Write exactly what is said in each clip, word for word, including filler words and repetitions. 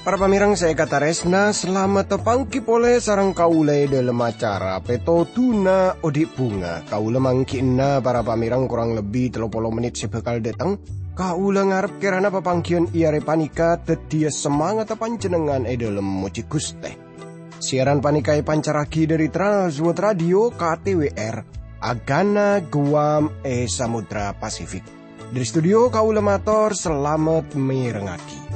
Para pamèrèng sè èkatarèsna, salamet tapangghi polè sareng kaulâ è dhâlem acara Pètodhuna Odi' Bhunga. Kaulâ mangghi'na para pamèrèng korang lebbi tello polo mennit sè bhâkal dâteng. Kaulâ ngarep kèrana papangghiyân è arè panèka dhâddhiyâ samangatta panjhennengngan è dhâlem mojhi Ghustè. Siaran panèka èpancarraghi dhâri Trans World Radio K T W R, Agana Guam è Samudra Pasifik. Dhâri studio kaulâ mator salamet mèrengngaghi.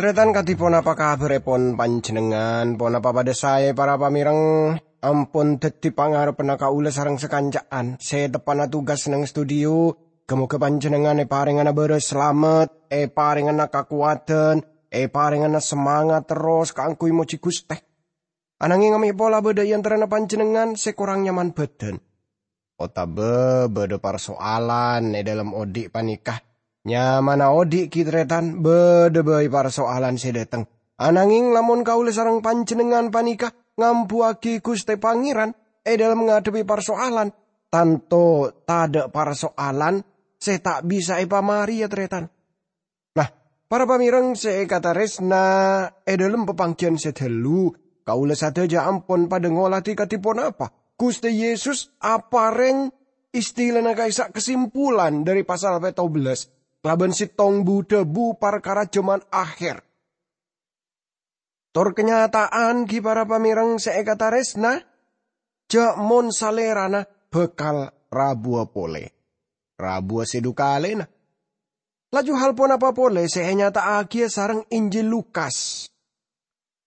Tarètan, kadhi ponapa kabhârèpon panjhennengngan? Ponapa padhâ saè, para pamèrèng? Ampon dhâddhi pangarebbhânna kaulâ sareng sakanca'an sè teppa'na tugas neng studio. Ghâ-moghâ panjhennengngan èparèngana bârâs salamet, èparèngana kakowadhân, èparèngana samangat terros kaangghuy mojhi Ghustè. Ananghing mè' pola bâdâ è antarana panjhennengngan sè korang nyaman bhâdhân. Otabâ bâdâ parsoalan è dhâlem odi' panèka. Nyamana odi' ghi', tarètan, bâdâ bhâi parsoalan sè dâteng. Ananghing lamon kaulâ sareng panjhennengngan panèka ngambuwâghi Ghustè Pangèran è dhâlem ngadhebbhi parsoalan, tanto tadâ' parsoalan sè ta' bisa èpamarèya, tarètan. Nah, para pamèrèng sè èkatarèsna, è dhâlem papangghiyân sè dâllu, kaulâ sadhâjâ ampon padâ ngolatè kadhi ponapa Ghustè Yesus aparèng istilana ka'issa' kasimpulan dhâri pasal pètto bellâs kalabân sèttong bu-dhâbu parkara jhâman akhèr. Tor kanyata'an ghi, para pamèrèng sè èkatarèsna, jhâ' mon Salèrana bhâkal rabuwâ polè. Rabuwâ sè dhu kalèna. Laju hal ponapa polè sè ènyata'aghiyâ sareng Injil Lukas?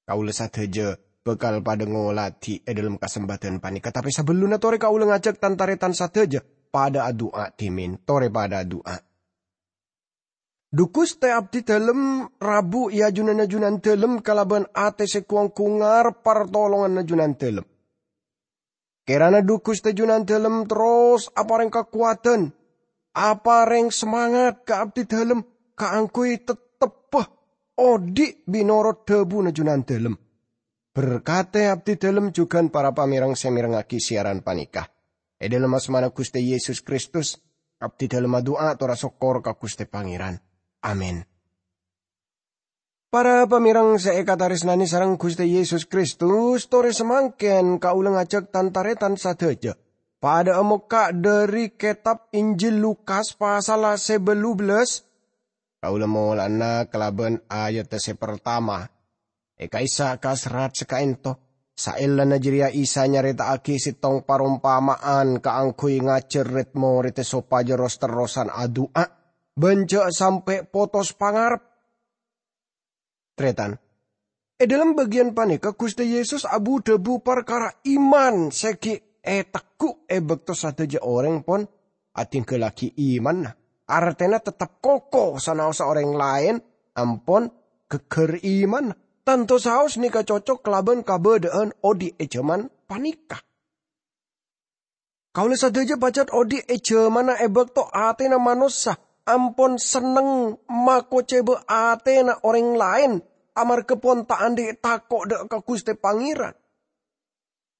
Kaulâ sadhâjâ bhâkal padâ ngolatè è dhâlem kasempadhân panèka, tapè sabellunna torè kaulâ ngajhâk tan-tarètan sadhâjâ padâ adu'a dhimèn. Torè padâ adu'a. Dhu Ghustè, abdhidhâlem rabu è ajunanna Junandhâlem kalabân atè sè gu-onggu ngarep partolonganna Junandhâlem. Kèrana dhu Ghustè Junandhâlem terros aparèng kakowadhân, aparèng samangat ka abdhidhâlem kaangghuy tettebbhâ odi' bi' norot dhâbuna Junandhâlem. Berkadhi abdhidhâlem jhughân para pamèrèng sè mèrengngaghi siaran panèka. È dhâlem asmana Ghustè Yesus Kristus, abdhidhâlem adu'a tor asokkor ka Ghustè Pangèran. Amin. Para pamèrèng sè èkatarèsnanè sareng Ghustè Yesus Kristus, torè samangkèn kaulâ ngajhâk tan-tarètan sadhâjâ padâ amokka' dhâri kètab Injil Lukas pasalla sè bâllu bellâs. Kaulâ mola'ana kalabân ayadhâ sè partama. È ka'issa' ka serrat sè ka'ènto, saellana jârèya Isa nyarèta'aghi sèttong parompama'an kaangghuy ngajhâr red-morèdda sopajâ ros-terrosan adu'a, bân jhâ' sampè' potos pangarep. Tarètan, è dhâlem bâgiyân panèka Ghustè Yesus abu-dhâbu parkara iman sè ghi' ètegghu' è bâkto sadhâjâ orèng pon adhingghâllaghi imanna, artèna tettep koko sanaossa orèng laèn ampon ghâgghâr imanna. Tanto saos nèka cocok kalabân kabâdâ'ân odi' è jhâman panèka. Kaulâ sadhâjâ pajhât odi' è jhâmanna è bâkto atèna manossa ampon senneng makocèba atèna orèng laèn amarghâ pon ta' andi' tako' dâ' ka Ghustè Pangèran.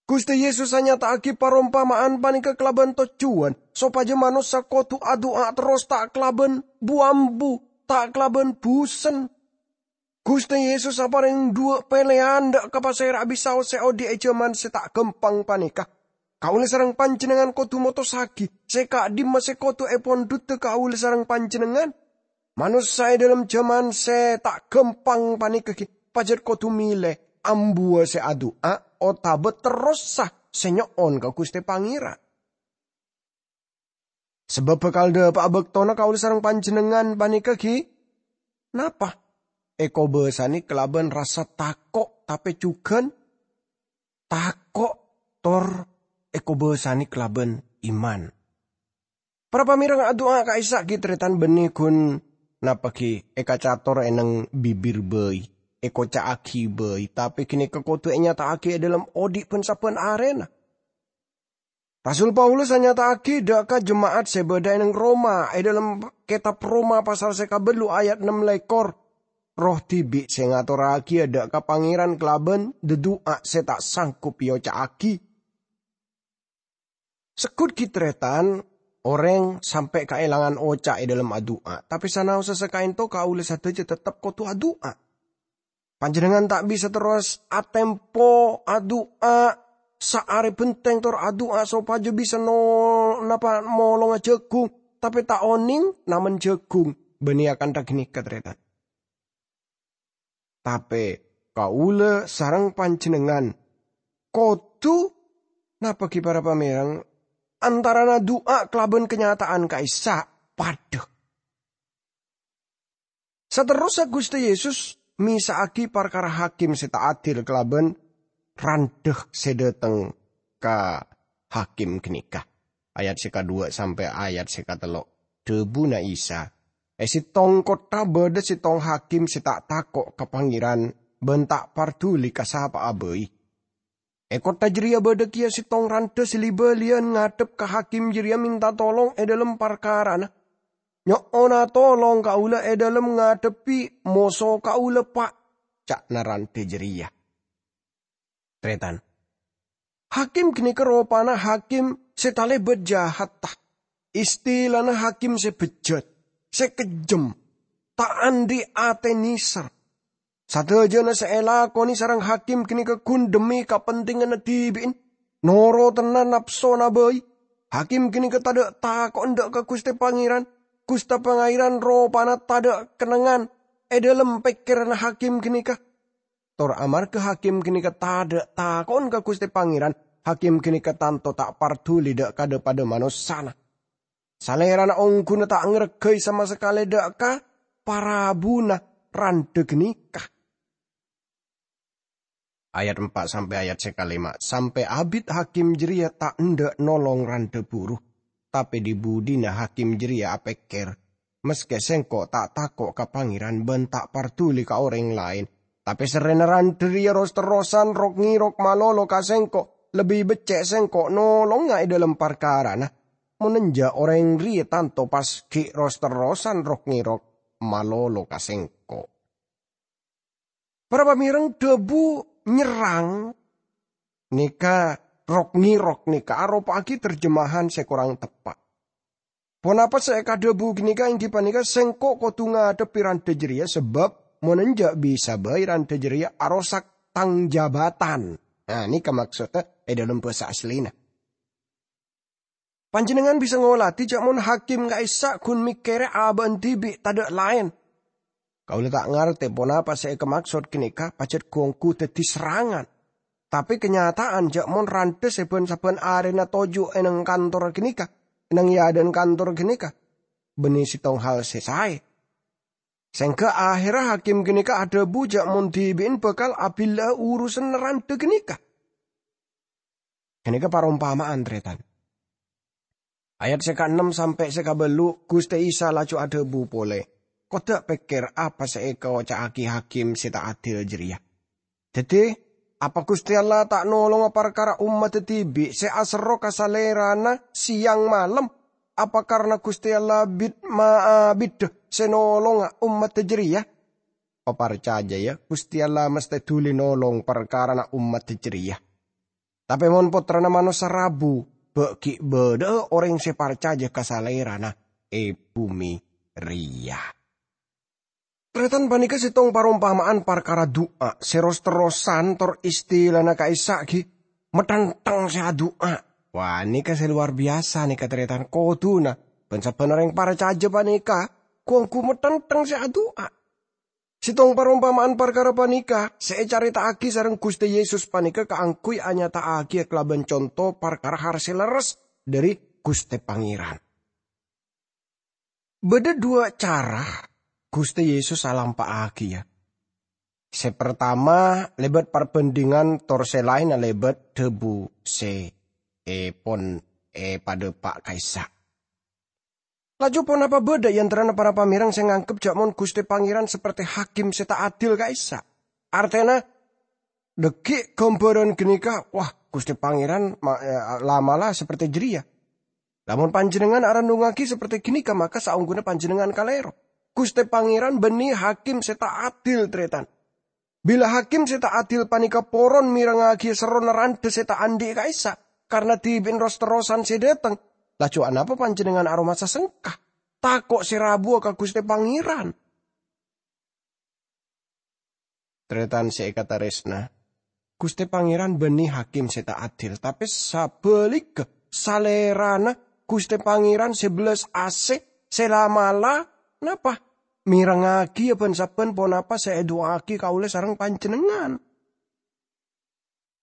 Ghustè Yesus anyata'aghi parompama'an panèka kalabân tojjhuwân sopajâ manossa kodhu adu'a terros ta' kalabân bu-ambu, ta' kalabân busen. Ghustè Yesus aparèng dhuwâ' pèlèyan dâ' ka pasèra'a bisaos sè odi' è jhâman sè ta' ghâmpang panèka. Kaulâ sareng panjhennengngan kodhu motossaghi sè ka'dimma sè kodhu èpondhudhâ kaulâ sareng panjhennengngan. Manossa è dhâlem jhâman sè ta' ghâmpang panèka ghi' pajhât kodhu mèlè ambuwâ sè adu'a otabâ terrossa sè nyo'on ka Ghustè Pangèran. Sabâb bhâkal dhâpa'a bâktona kaulâ sareng panjhennengngan panèka ghi' napa? Èkobâsanè kalabân rassa tako', tapè jhughân tako' tor èkobâsanè kalabân iman. Para pamèrèng, adu'a ka'issa' ghi' tarètan bânnè ghun Napa ghi' èkacator è neng bibir bhâi, èkoca'aghi bhâi, tapè ghânèka kodhu ènyata'aghi è dhâlem odi' bân-sabbhân arèna. Rasul Paulus anyata'aghi dhâ' ka jema'at sè bâdâ è neng Roma, è dhâlem Kètab Roma pasal sè kabâllu' ayat ennem lèkor, "Erroh dhibi' sè ngatorraghiyâ dhâ' ka Pangèran kalabân dhâdu'a sè ta' sanggup èoca'aghi." Segghut ghi' tarètan, orèng sampè' kaèlangan oca' è dhâlem adu'a, tapè sanaossa sakaènto kaulâ sadhâjâ teptep kodhu adu'a. Panjhennengngan ta' bisa terros atempo adu'a saarè bhenteng tor adu'a sopajâ bisa no-, napa molonga jhâghung, tapè ta' onèng namen jhâghung. Bânnè akantha ghânèka, tarètan. Tapè kaulâ sareng panjhennengngan kodhu, napa ghi' para pamèreng, antarana du'a kalabân kanyata'an ka'issa' padâ. Saterrossa Ghustè Yesus mèsa'aghi parkara hakim sè ta' adil kalabân randhâ sè dâteng ka hakim ghânèka. Ayat sè kadhuwâ' sampè' ayat sè katello'. Dhâbuna Isa, "È sèttong kottha bâdâ sèttong hakim sè ta' tako' ka Pangèran bân ta' parduli ka sapa'a bhâi. È kottha jârèya bâdâ kèya sèttong randhâ sè li-bâliyân ngadhep ka hakim jârèya mènta tolong è dhâlem parkarana. 'Nyo'ona tolong kaulâ è dhâlem ngadhebbhi moso kaulâ, Pa',' ca'na randhâ jârèya." Tarètan. Hakim ghânèka ropana hakim sè talèbât jahatta. Istilana hakim sè bejjat, sè kejjhem, ta' andhi' atè nèser. Sadhâjâna sè èlakonè sareng hakim ghânèka ghun dhemmi kapentinganna dhibi'en, norotanna napsona bhâi. Hakim ghânèka tadâ' tako' endâ' ka Ghustè Pangèran. Ghustè Pangèran ropana tadâ' kennengngan è dhâlem pèkkèranna hakim ghânèka. Tor amarghâ hakim ghânèka tadâ' tako'en ka Ghustè Pangèran, hakim ghânèka tanto ta' parduli dhâ', ka dhâ-padâ manossana. Salèrana ongghuna ta' ngarghâi sama sakalè dhâ' ka parabuna randhâ ghânèka. Ayat empa' sampè' ayat sè kalèma', sampè' abit hakim jârèya ta' endâ' nolong randhâ buru, tapè dhi-budhina hakim jârèya apèkkèr, "Maskè sèngko' ta' tako' ka Pangèran bân ta' parduli ka orèng laèn, tapè serrèna randhâ rèya ros-terrosan rok-ngèrok malolo ka sèngko', lebbi beccè' sèngko' nolonga è dhâlem parkarana. Mon enjâ', orèng rèya tanto pas ghi' ros-terrosan rok-ngèrok malolo ka sèngko'." Para pamèreng, dhâbu nyerrang nèka, rok-ngèrok nèka aropa'aghi terjemahan sè korang teppa'. Ponapa sè èkadhâbu ghânèka èngghi panèka, "Sèngko' kodhu ngadhebbhi randhâ jârèya, sabâb mon enjâ' bisa bhâi randhâ jârèya arosak tang jabatan." Nah, nèka maksodda è dhâlem bhâsa asllina. Panjhennengngan bisa ngolatè jâ' mon hakim ka'issa' ghun mèkkèrè abâ'na dhibi' tadâ' laèn. Kaulâ ta' ngartè ponapa sè èkamaksod ghânèka, pajhât ghu-ongghu dhâddhi serrangan. Tapè kanyata'an jâ' mon randhâ sè bân-sabbhân arèna toju' è neng kantor ghânèka, è neng è adâ'na kantor ghânèka, bânnè sèttong hal sè saè. Sèngghâ ahèrra hakim ghânèka adhâbu jâ' mon dhibi'en bhâkal abhilâ'â urusanna randhâ ghânèka. Ghânèka parompama'an, tarètan. Ayat sè kaennem sampè' sè kabâllu', Ghustè Isa laju adhâbu polè, "Kodâ' pèkkèr apa sè èkaoca'aghi hakim sè ta' adil jârèya. Dhâddhi, apa Ghustè Allah ta' nolonga parkara ommaddhâ dhibi' sè aserro ka Salèrana sèyang malem? Apa karna Ghustè Allah bit-, ma-, abidhâ sè nolonga ommaddhâ jârèya? Paparcajâ, yâ, Ghustè Allah mesthè dhuli nolong parkarana ommaddhâ jârèya. Tapè mon Pottrana Manossa rabu, bâ' ghi' bâdâ'â orèng sè parcajâ ka Salèrana è bhumè rèya." Tarètan, panèka sèttong parompama'an parkara du'a sè ros-terrosan tor istilana ka'issa' ghi, "Mathènthèng sè adu'a." Wah, nèka sè lowar biyasa nèka, tarètan. Kodhuna bân-sabbhân orèng parcajâ panèka ghu-ongghu mathènthèng sè adu'a. Sèttong parompama'an parkara panèka sè ècarèta'aghi sareng Ghustè Yesus panèka kaangghuy anyata'aghiyâ kalabân conto parkara har sè lerres dhâri Ghustè Pangèran. Bâdâ duwâ' cara Ghustè Yesus alampa'aghiyâ. Sè partama lèbât parbhândhingan, tor sè laènna lèbât dhâbu sè èpon èpadhâpa' ka'issa'. Laju ponapa bâdâ è antarana para pamèreng sè nganggep jhâ' mon Ghustè Pangèran saperte hakim sè ta' adil ka'issa'? Artèna, dhâggi' ghâmbhârân ghânèka, wah, Ghustè Pangèran ma-, eh, la'-mala' saperte jârèya. Lamon panjhennengngan arennungngaghi saperte ghânèka, maka saongghuna panjhennengngan kalèro. Ghustè Pangèran bânnè hakim sè ta' adil, tarètan. Bilâ hakim sè ta' adil panèka poron mèrengngaghi serrona randhâ sè ta' andi' ka'issa', karna dhibi'na ros-terrosan sè dâteng, laju anapa panjhennengngan aromasa sengka, tako' sè rabuwâ ka Ghustè Pangèran? Tarètan sè èkatarèsna, Ghustè Pangèran bânnè hakim sè ta' adil, tapè sabhâligghâ, salèrana Ghustè Pangèran sè bellas asè, sè la'-mala', napa? Mèrengngaghi bân-sabbhân ponapa sè èdu'aaghi kaulâ sareng panjhennengngan.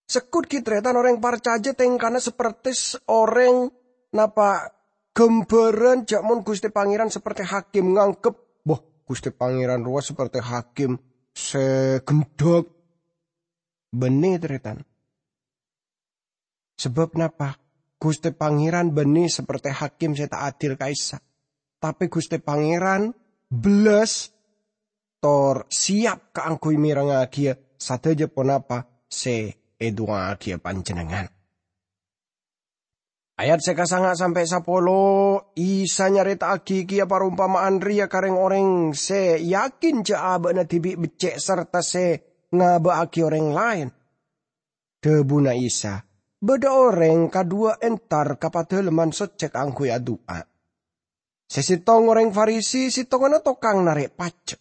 Segghut ghi' tarètan orèng parcajâ tèngkana saperte s-, orèng napa ghâmbhârân jhâ' mon Ghustè Pangèran saperte hakim nganggep, "Bâh, Ghustè Pangèran rowa saperte hakim sè ghendhâk." Bânnè, tarètan. Sabâb napa? Ghustè Pangèran bânnè saperte hakim sè ta' adil ka'issa'. Tapè Ghustè Pangèran bellas tor siap kaangghuy mèrengngaghi sadhâjâ ponapa sè èdu'aaghiyâ panjhennengngan. Ayat sè kasanga sampè' sapolo, Isa nyarèta'aghi kèya parompama'an rèya ka rèng-orèng sè yakin jhâ' abâ'na dhibi' beccè' sarta sè ngabâ'aghi orèng laèn. Dhâbuna Isa, "Bâdâ orèng kadhuwâ entar ka Padalemman Soccè kaangghuy adu'a. Sè sèttong orèng Farisi, sèttonganna tokang narè' pajhâk."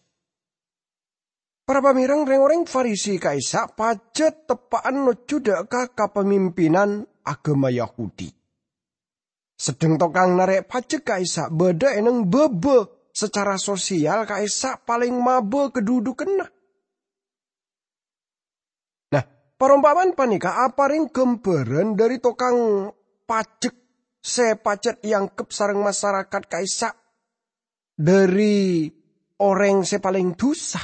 Para pamèreng, rèng-orèng Farisi ka'issa' pajhât teppa'an nojjhu dâ' ka kapamimpinan aghâma Yahudi. Sedheng tokang narè' pajhâk ka'issa' bâdâ è neng bâbâ sacara sosial ka'issa' palèng mabâ kadhudhukanna. Nah, parompama'an panèka aparèng ghâmbhârân dhâri tokang pajhâk sè pajhât èangghep sareng masarakat ka'issa' dhâri orèng sè palèng dhusa.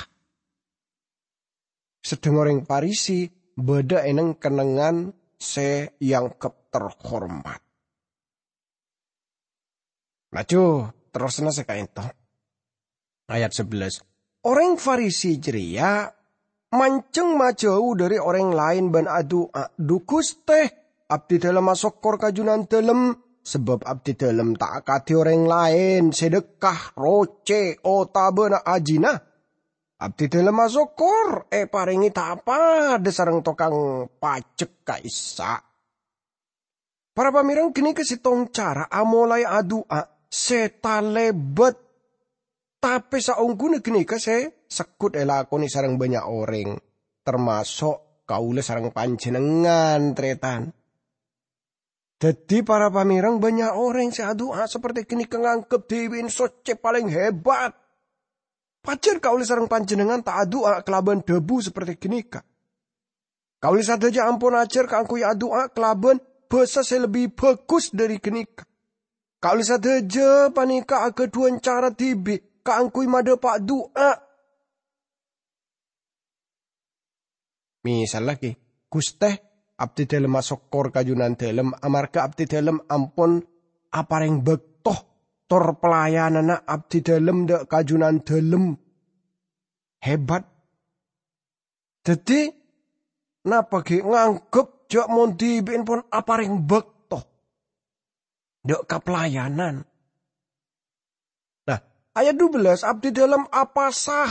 Sedheng orèng Farisi bâdâ è neng kennengngan sè èangghep terhormat. Laju, terrosna sè ka'ènto. Ayat sabellâs. Orèng Farisi jârèya manjheng majâu dhâri orèng laèn bân adu'a, "Dhu Ghustè, abdidhâlem asokkor ka Junandhâlem, sabâb abdidhâlem ta' akadhi orèng laèn sè dhâkka, rocè, otabâna ajina. Abdidhâlem asokkor èparèngè ta' padâ sareng tokang pajhâk ka'issa'." Para pamèreng, ghânèka sèttong cara amolaè adu'a sè talèbât, tapè saongghuna ghânèka sè segghut èlakonè sareng bânnya' orèng, tamaso' kaulâ sareng panjhennengngan, tarètan. Dhâddhi, para pamèreng, bânnya' orèng sè adu'a saperte ghânèka nganggep dhibi'na soccè palèng hebat. Pajhât kaulâ sareng panjhennengngan ta' adu'a kalabân dhâbu saperte ghânèka. Kaulâ sadhâjâ ampon ajhâr kaangghuy adu'a kalabân bhâsa sè lebbi bhâghus dhâri ghânèka. Kaulâ sadhâjâ panèka aghâdhuwân cara dhibi' kaangghuy madhâpa' du'a. Misallagi, "Ghustè, abdidhâlem asokkor ka Junandhâlem amarghâ abdidhâlem ampon aparèng bâkto tor pelayananna abdidhâlem dâ' ka Junandhâlem hebat." Dhâddhi, napa ghi' nganggep jhâ' mon dhibi'na pon aparèng bâkto dâ' ka pelayanan? Nah, ayat dubellâs, "Abdidhâlem apasa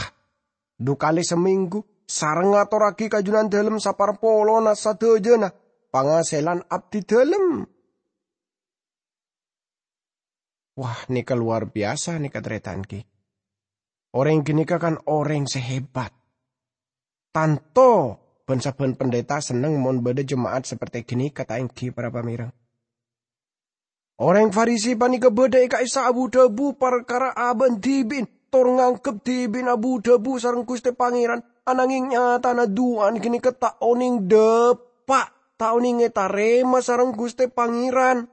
dhu kalè samènggu, sareng ngatorraghi ka Junandhâlem saparpolona sadhâjâna pangasèlan abdidhâlem." Wah, nèka lowar biyasa nèka, tarètan, ghi. Orèng ghânèka kan orèng sè hebat. Tanto bân-sabbhân pendeta senneng mon bâdâ jema'at saperte ghânèka, ta' ènggi, para pamèreng? Orèng Farisi panèka bâdâ è ka'issa' abu-dhâbu parkara abâ'na dhibi'na, tor nganggep dhibi'na abu-dhâbu sareng Ghustè Pangèran, ananghing nyatana du'ana ghânèka ta' onèng dâpa', ta' onèng ètarèma sareng Ghustè Pangèran.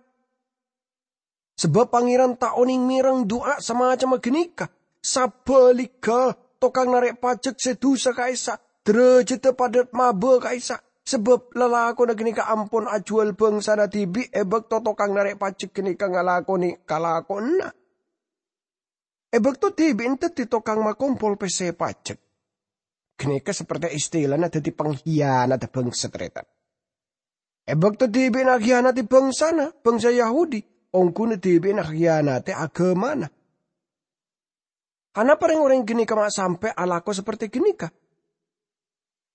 Sabâb Pangèran ta' onèng mèreng du'a samacemma ghânèka. Sabhâligghâ, tokang narè' pajhâk sè dhusa ka'issa', dârâjhâddhâ padâ mabâ ka'issa', sabâb lalakonna ghânèka ampon ajhuwâl bhângsana dhibi' è bâkto tokang narè' pajhâk ghânèka ngalakonè kalakowanna. e bâkto dhibi'na dhâddhi tokang makompol pèssè pajek. Ghânèka saperte istilana dhâddhi panghiyanadhâ bhângsa, tarètan. E bâkto dhibi'na akhiyanadhi bhângsana, bhângsa Yahudi, ongghuna dhibi'na akhiyanadhi aghâmana. Anapa rèng-orèng ghânèka ma' sampè' alako saperte ghânèka?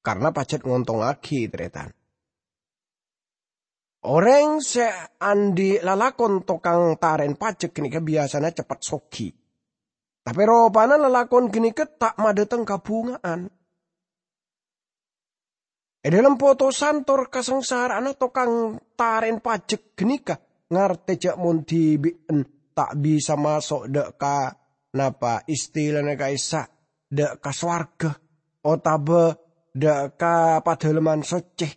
Karna pajhât ngontongngaghi, tarètan. Orèng sè andi' lalakon tokang tarèn pajek ghânèka biyasana ceppet soghi. Tapè ropana lalakon ghânèka ta' madhâteng kabhunga'an. E dhâlem potosan tor kasangsara'anna tokang tarèn pajek ghânèka ngartè jâ' mon dhibi'en ta' bisa maso' dhâ' ka, napa istilana ka'issa', dhâ' ka sowarghâ otabâ dhâ' ka Padâlemman Soccè.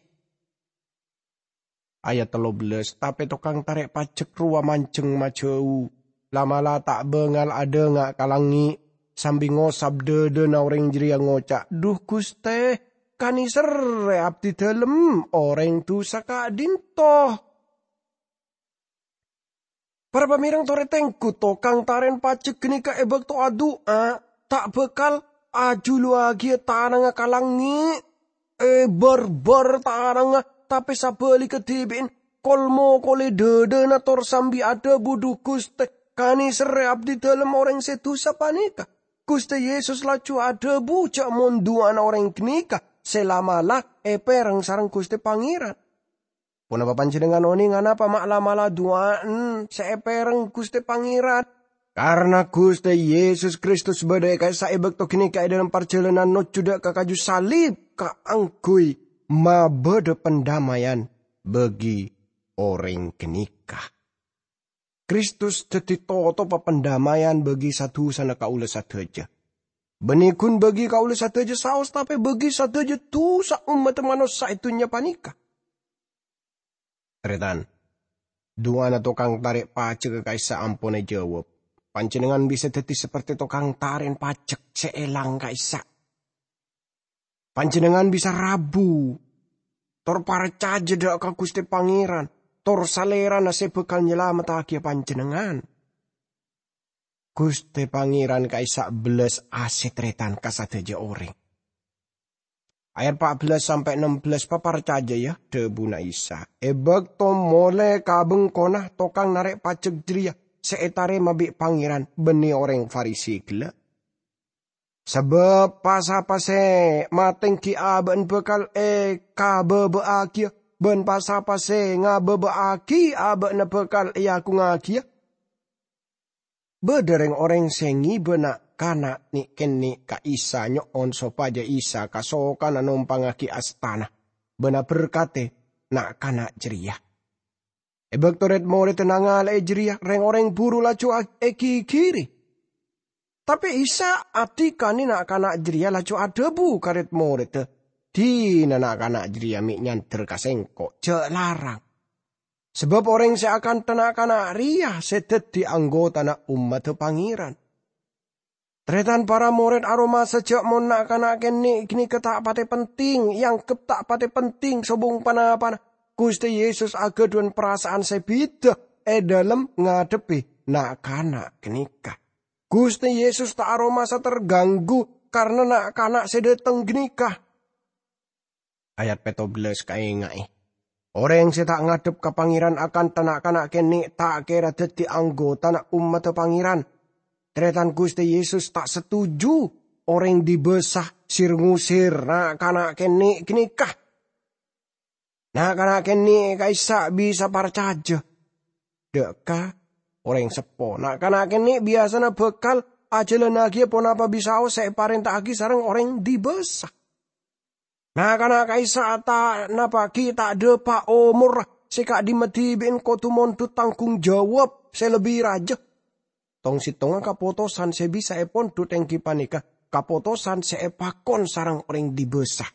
Ayat tello bellâs, tapè tokang tarè' pajek rowa manjeng majâu, la'-mala' ta' bângal adhânga' ka langngè', sambi ngosap dhâdhâna orèng jârèya ngoca', "Dhu, Ghustè, kanèserrè abdhi dhâlem orèng dhusa ka'dinto." Para pamèreng torè tengghu, tokang tarèn pajek ghânèka e bâkto adu'a ta' bhâkal ajhuluwâghiyâ tanangnga ka langngè', èbârbâr tanangnga, tapè sabhâligghâ dhibi'en kol-mokolè dhâdhâna tor sambi adhâbu, "Dhu, Ghustè, kanèserrè abdhi dhâlem orèng sè dhusa panèka." Ghustè Yesus laju adhâbu jâ' mon du'ana orèng ghânèka sè la'-mala' èpèreng sareng Ghustè Pangèran. Ponapa panjhennengngan onèng anapa ma' la'-mala' du'a'en sè èpèreng Ghustè Pangèran? Karna Ghustè Yesus Kristus bâdâ è ka'issa' è bâkto ghânèka è dhâlem parjhâlânan nojjhu dhâ' ka kaju salib kaangghuy mabâdâ pandamèyan bagi orèng ghânèka. Kristus dhâddhi totopa pandamèyan bagi sa-dhusana kaulâ sadhâjâ. Bânnè ghun bagi kaulâ sadhâjâ saos, tapè bagi sadhâjâ dhusa ommaddhâ manossa è dhunnya panèka. Tarètan, du'ana tokang tarè' pajhâk ka'issa' ampon èjâwâb. Panjhennengngan bisa dhâddhi saperte tokang tarèn pajhâk sè èlang ka'issa'. Panjhennengngan bisa rabu, tor parcajâ dhâ' ka Ghustè Pangèran, tor Salèrana sè bhâkal nyalamettaghi panjhennengngan. Ghustè Pangèran ka'issa' bellas asè tarètan ka sadhâjâ orèng. Ayat pa' bellas sampè' ennem bellas, paparcajâ, yâ, dhâbuna Isa. È bâkto molè ka bengkona, tokang narè' pajhâk jârèya sè ètarèma bi' Pangèran bânnè orèng Farisi ghellâ'. Sabâb pa-sapa sè matèngghi abâ'na bhâkal èkabâbâ'âghiyâ, bân pa-sapa sè ngabâbâ'âghi abâ'na bhâkal èaghungngâghiyâ. Bâdâ rèng-orèng sè ngibâ na'-kana' nè'-kènè' ka Isa nyo'on sopajâ Isa kasokana nompangngaghi astana bân aberkadhi na'-kana' jârèya. È bâkto rèd-morèdda nangala'è jârèya, rèng-orèng buru laju a-, èghighiri. Tapè Isa adhikanè na'-kana' jârèya laju adhâbu ka rèd-morèdda, "Dina na'-kana' jârèya mè' nyandher ka Sèngko', jâ' larang. Sabâb orèng sè akantha na'-kana' rèya sè dhâddhi anggotana ommaddhâ Pangèran." Tarètan, para morèd aromasa jâ' mon na'-kana' kènè' ghânèka ta' patè penting, èangghep ta' patè penting sobung pa-napana, Ghustè Yesus aghâdhuwân parasaan sè bhidhâ è dhâlem ngadhebbhi na'-kana' ghânèka. Ghustè Yesus ta' aromasa terganggu karna na'-kana' sè dhâteng ghânèka. Ayat pètto bellâs kaènga'è, "Orèng sè ta' ngadhep ka Pangèran akantha na'-kana' kènè' ta' kèra dhâddhi anggotana ommaddhâ Pangèran. Tarètan, Ghustè Yesus ta' setuju orèng dibâsa sir-ngosèr na'-kana' kènè' ghânèka. Na'-kana' kènè' ka'issa' bisa parcajâ dhâ' ka orèng seppo. Na'-kana' kènè' biyasana bhâkal ajhâlânnaghi ponapa bisaos sè èparènta'aghi sareng orèng dibâsa. Na'-kana' ka'issa' ta' napa ghi' ta' dâpa' omorra sè ka'dimma dhibi'en kodhu mondhut tanggung jawab sè lebbi rajâ. Tong-settongnga kapotosan sè bisa èpondhut èngghi panèka kapotosan sè èpakon sareng orèng dibâsa.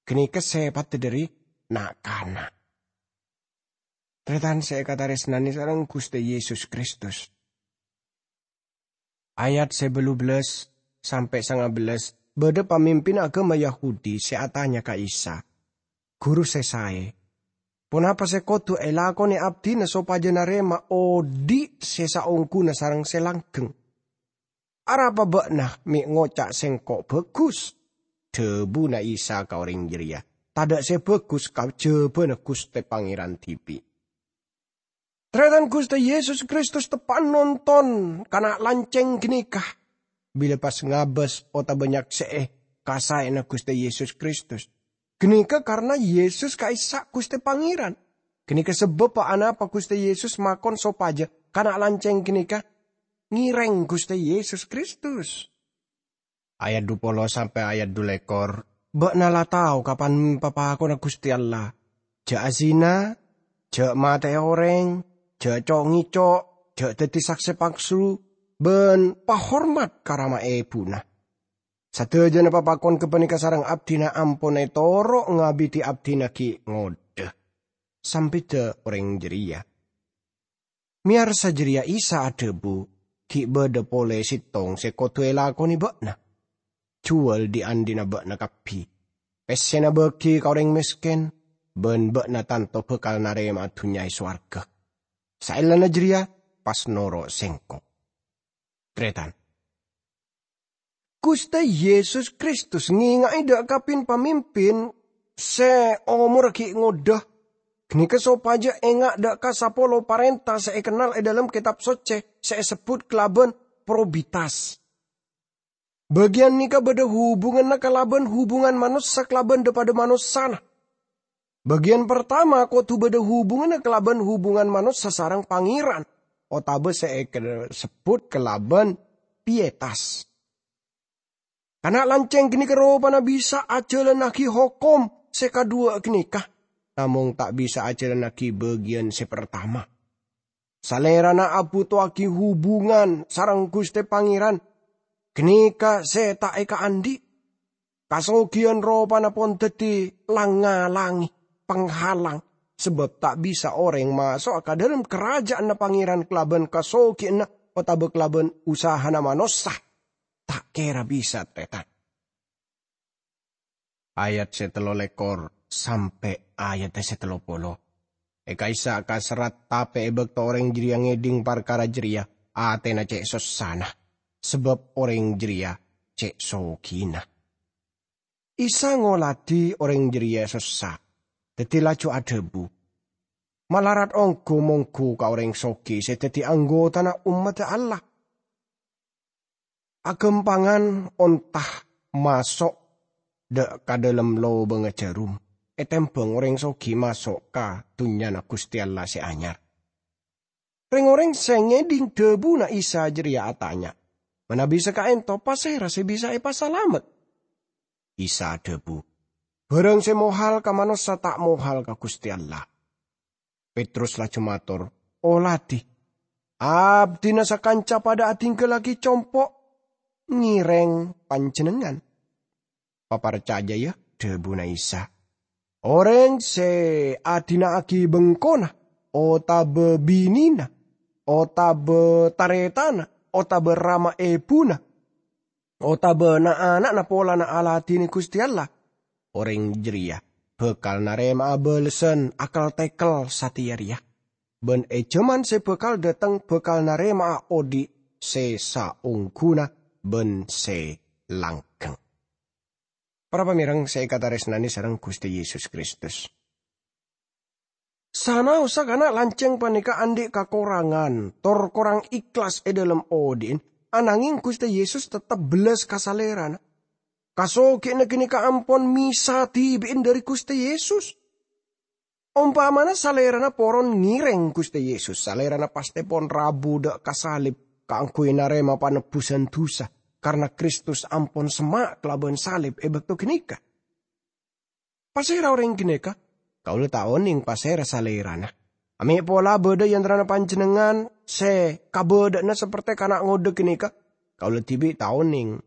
Ghânèka sèpaddhâ dhâri na'-kana'." Tarètan sè èkatarèsnanè sareng Ghustè Yesus Kristus. Ayat sè bâllu bellâs sampè' sanga bellâs, bâdâ pamimpin aghâma Yahudi sè atanya ka Isa, "Ghuru sè saè, ponapa sè kodhu èlakonè abdhina sopajâ narèma odhi' sè saongghuna sareng sè langghâng?" "Arapa bâ'na mè' ngoca' sèngko' bhâghus?" Dhâbuna Isa ka orèng jârèya, "Tadâ' sè bhâghus kajhâbhâna Ghustè Pangèran dhibi'." Tarètan, Ghustè Yesus Kristus teppa'na nonton kana' lancèng ghânèka bilâ pas ngabâs otabâ nyaksè'è kasaèna Ghustè Yesus Kristus. Ghânèka karna Yesus ka'issa' Ghustè Pangèran. Ghânèka sabâbbhâ anapa Ghustè Yesus makon sopajâ kana' lancèng ghânèka ngèrèng Ghustè Yesus Kristus. Ayat dupolo sampè' ayat dulèkor. Bâ'na la tao kapan papakonna Ghustè Allah. "Jhâ' azina, jhâ' matè'è orèng, jhâ' co'-ngèco', jhâ' dhâddhi saksè palsu, bân pahormat ka rama èbhuna." Sadhâjâna papakon ghâpanèka sareng abdhina ampon ètoro' ngabidhi abdhina ghi' ngodâ, sampèda orèng jârèya. Mèyarsa jârèya Isa adhâbu, "Ghi' bâdâ polè sèttong sè kodhu èlakonè bâ'na. Jhuwâl dhi'-andhi'na bâ'na kabbhi. Pèssèna bâgi ka orèng mèskèn, bân bâ'na tanto bhâkal narèma'a dhunnya è sowarghâ. Saellana jârèya, pas noro' Sèngko'." Tarètan, Ghustè Yesus Kristus ngènga'è dâ' ka pin-pamimpin sè omorra ghi' ngodâ ghânèka sopajâ enga' dâ' ka sapolo parènta sè èkennal è dâlem Kètab Soccè sè èsebbhut kalabân probitas. Bâgiyân nèka bâdâ hubunganna kalabân hubungan manossa kalabân dâ-padâ manossana. Bâgiyân partama kodhu bâdâ hubunganna kalabân hubungan manossa sareng Pangèran, otabâ sè èkasebbhut kalabân pietas. Kana' lancèng ghânèka ropana bisa ajhâlannaghi hokom sè kadhuwâ' ghânèka, namong ta' bisa ajhâlannaghi bâgiyân sè partama. Salèrana abhutowaghi hubungan sareng Ghustè Pangèran ghânèka sè ta' èkaandhi'. Kasoghiyân ropana pon dhâddhi lang-ngalangè, penghalang, sabâb ta' bisa orèng maso'a ka dâlem karaja'anna Pangèran kalabân kasoghiyânna otabâ kalabân usahana manossa. Ta' kèra bisa, tarètan. Ayat sè tello lèkor sampè' ayat sè tello polo. È ka'issa' kaserrat, tapè è bâkto orèng jârèya ngèdhing parkara jârèya, atèna cè' sossana, sabâb orèng jârèya cè' soghina. Isa ngoladhi orèng jârèya sossa, dhâddhi laju adhâbu, "Malarat ongghu-mongghu ka orèng soghi sè dhâddhi anggotana ommaddhâ Allah. Aghâmpangan onta maso' dâ' ka dâlem lobângnga jhârum, ètèmbhâng orèng soghi maso' ka Dhunnyana Ghustè Allah sè anyar." Rèng-orèng sè ngèdhing dhâbuna Isa jârèya atanya, "Manabi saka'ènto, pasèra sè bisa èpasalamet?" Isa adhâbu, "Bârâng sè mohal ka manossa ta' mohal ka Ghustè Allah." Petrus laju mator, "Oladhi, abdhina sakanca padâ adhinggâllaghi compo' ngèrèng Panjhennengngan." "Paparcajâ, yâ," dhâbuna Isa. "Orèng sè adhina'aghi bengkona, otabâ binèna, otabâ tarètanna, otabâ rama èbhuna, otabâ na'-ana'na polana aladhinè Ghustè Allah, orèng jârèya bhâkal narèma'a bâlessan akel-tèkel satèya rèya. Bân è jhâman sè bhâkal dâteng bhâkal narèma'a odi' sè saongghuna bân sè langghâng." Para pamèreng sè èkatarèsnanè sareng Ghustè Yesus Kristus. Sanaossa kana' lancèng panèka andi' kakorangan tor korang èhlas è dâlem odi'na, ananghing Ghustè Yesus tettep bellas ka salèrana. Kasoghiyânna ghânèka ampon mèsa dhibi'na dâri Ghustè Yesus. Ompamana salèrana poron ngèrèng Ghustè Yesus, salèrana pastè pon rabu dâ' ka salib kaangghuy narèma panebbusan dhusa, karna Kristus ampon semma' kalabân salib è bâkto ghânèka. Pasèra orèng ghânèka? Kaulâ ta' onèng pasèra salèrana. Amè' pola bâdâ è antarana panjhennengngan sè kabâdâ'ânna saperte kana' ngodâ ghânèka. Kaulâ dhibi' ta' onèng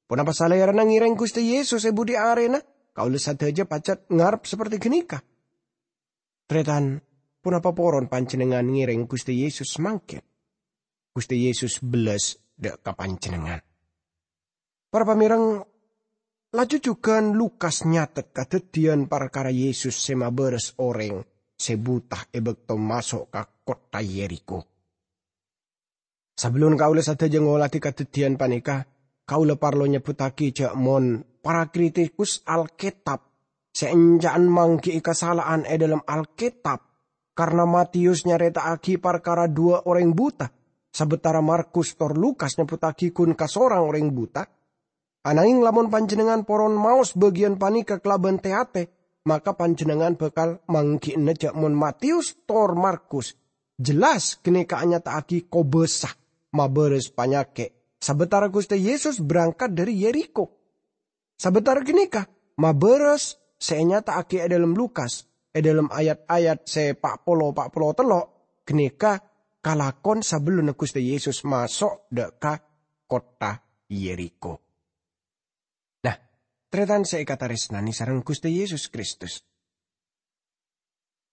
ponapa salèrana ngèrèng Ghustè Yesus è budhi arèna. Kaulâ sadhâjâ pajhât ngarep saperte ghânèka. Tarètan, ponapa poron panjhennengngan ngèrèng Ghustè Yesus mangkèn? Ghustè Yesus bellas dâ' ka panjhennengngan. Para pamèreng, laju jhughân Lukas nyatet kadhâddhiyân parkara Yesus sè mabârâs orèng sè buta è bâkto maso' ka kottha Yerikho. Sabellun kaulâ sadhâjâ ngolatè kadhâddhiyân panèka, kaulâ parlo nyebbhuttaghi jhâ' mon para kritikus Alkètab sè ènca'an mangghi'i kasala'an è dhâlem Alkètab, karna Matiyus nyarèta'aghi parkara duwâ' orèng buta, sabâtara Markus tor Lukas nyebbhuttaghi ghun kasorang orèng buta. Ananging lamon panjhennengngan poron maos bâgiyân panèka kalabân tè-atè, maka panjhennengngan bhâkal mangghi'na jhâ' mon Matiyus tor Markus jelas ghânèka anyata'aghi kobâsa mabârâs panyakè', sabâtara Ghustè Yesus berangkat dhâri Yerikho. Sabâtara ghânèka, mabârâs sè ènyata'aghi è dhâlem Lukas, è dhâlem ayat-ayat sè pa' polo, pa' polo tello', ghânèka kalakon sabellunna Ghustè Yesus maso' dhâ' ka kottha Yerikho. Nah, tarètan sè èkatarèsnanè sareng Ghustè Yesus Kristus.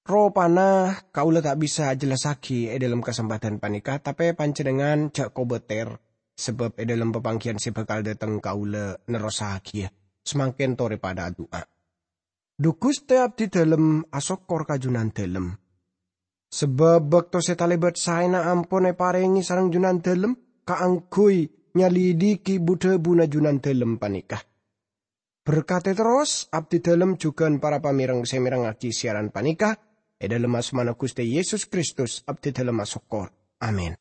Ropana kaulâ ta' bisa ajellassaghi è dhâlem kasempadhân panèka, tapè panjhennengngan jhâ' kobâtèr, sabâb è dhâlem papangghiyân sè bhâkal dhâteng kaulâ nerrossaghiyâ. Samangkèn torè padhâ adu'a. Dhu Ghustè, abdhi dhâlem asokkor ka Junandhâlem. Sabâb bâkto sè talèbât saèna ampon èparèngè sareng Junandhâlem kaangghuy nyalidhighi bu-dhâbuna Junandhâlem panèka. Berkadhi terros abdhi dhâlem jhughân para pamèreng sè mèrengngaghi siaran panèka. È dhâlem asmana Ghustè Yesus Kristus abdhi dhâlem asokkor. Amin.